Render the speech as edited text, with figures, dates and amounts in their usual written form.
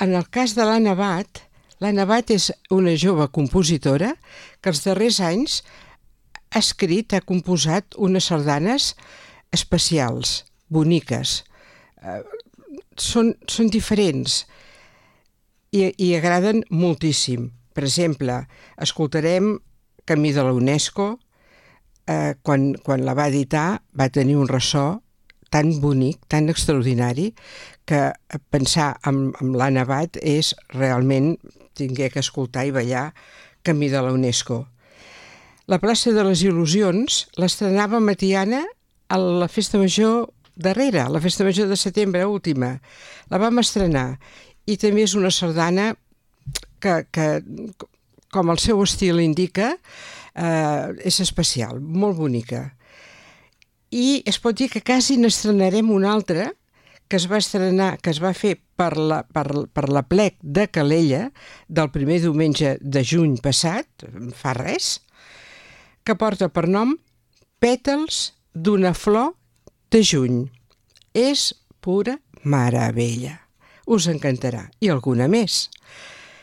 en el cas de l'Anna Abad és una jove compositora que els darrers anys ha composat unes sardanes especials, boniques. Són diferents i agraden moltíssim. Per exemple, escoltarem Camí de la UNESCO. Quan la va editar va tenir un ressò tan bonic, tan extraordinari, que pensar en l'Anna Abad és realment tingué que escoltar i ballar Camí de la UNESCO. La plaça de les Il·lusions l'estrenava Matiana a la festa major darrera, la festa major de setembre última. La vam estrenar i també és una sardana que com el seu estil indica, és especial, molt bonica. I es pot dir que quasi n'estrenarem una altra que es va estrenar, que es va fer per l'Aplec de Calella del primer diumenge de juny passat, fa res, que porta per nom Pètals d'una flor de juny. És pura meravella. Us encantarà. I alguna més.